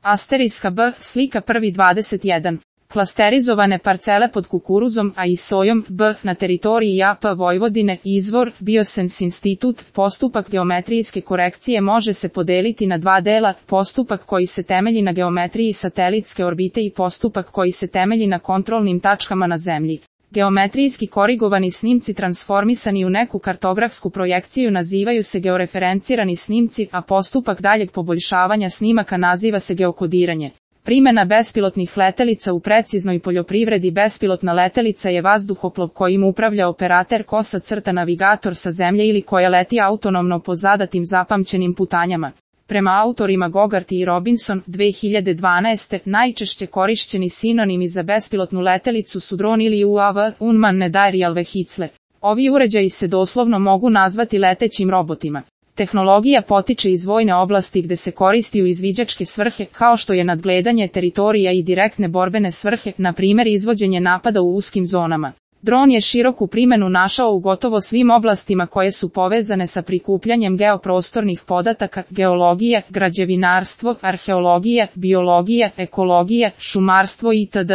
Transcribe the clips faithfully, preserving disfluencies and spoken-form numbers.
Asteriska B, slika prvi dvadeset jedan. Klasterizovane parcele pod kukuruzom, a i sojom, B, na teritoriji A P Vojvodine, izvor, Biosens institut, postupak geometrijske korekcije može se podeliti na dva dela, postupak koji se temelji na geometriji satelitske orbite i postupak koji se temelji na kontrolnim tačkama na Zemlji. Geometrijski korigovani snimci transformisani u neku kartografsku projekciju nazivaju se georeferencirani snimci, a postupak daljeg poboljšavanja snimaka naziva se geokodiranje. Primjena bespilotnih letelica u preciznoj poljoprivredi. Bespilotna letelica je vazduhoplov kojim upravlja operater kosa crta navigator sa Zemlje ili koja leti autonomno po zadatim zapamćenim putanjama. Prema autorima Gogarty i Robinson, dve hiljade dvanaeste. najčešće korišćeni sinonimi za bespilotnu letelicu su dron ili U A V, unmanned aerial vehicle. Ovi uređaji se doslovno mogu nazvati letećim robotima. Tehnologija potiče iz vojne oblasti gde se koristi u izviđačke svrhe, kao što je nadgledanje teritorija i direktne borbene svrhe, na primjer izvođenje napada u uskim zonama. Dron je široku primjenu našao u gotovo svim oblastima koje su povezane sa prikupljanjem geoprostornih podataka, geologija, građevinarstvo, arheologija, biologija, ekologija, šumarstvo itd.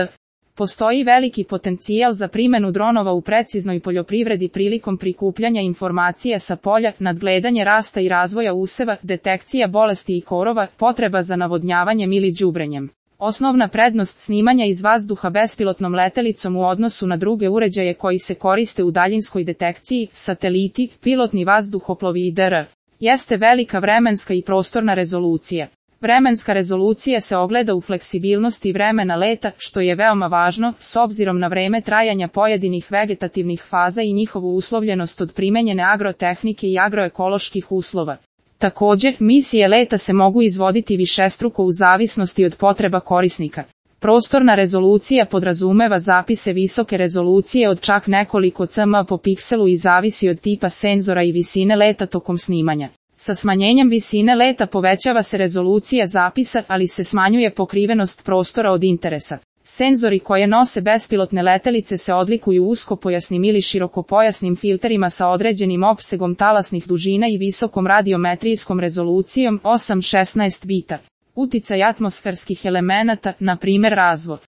Postoji veliki potencijal za primjenu dronova u preciznoj poljoprivredi prilikom prikupljanja informacija sa polja, nadgledanje rasta i razvoja useva, detekcija bolesti i korova, potreba za navodnjavanjem ili đubrenjem. Osnovna prednost snimanja iz vazduha bespilotnom letelicom u odnosu na druge uređaje koji se koriste u daljinskoj detekciji, sateliti, pilotni vazduhoplovi itd. jeste velika vremenska i prostorna rezolucija. Vremenska rezolucija se ogleda u fleksibilnosti vremena leta, što je veoma važno, s obzirom na vreme trajanja pojedinih vegetativnih faza i njihovu uslovljenost od primenjene agrotehnike i agroekoloških uslova. Također, misije leta se mogu izvoditi višestruko u zavisnosti od potreba korisnika. Prostorna rezolucija podrazumeva zapise visoke rezolucije od čak nekoliko cm po pikselu i zavisi od tipa senzora i visine leta tokom snimanja. Sa smanjenjem visine leta povećava se rezolucija zapisa, ali se smanjuje pokrivenost prostora od interesa. Senzori koje nose bespilotne letelice se odlikuju uskopojasnim ili širokopojasnim filterima sa određenim opsegom talasnih dužina i visokom radiometrijskom rezolucijom osam šesnaest bita. Uticaj atmosferskih elemenata, na primjer razvod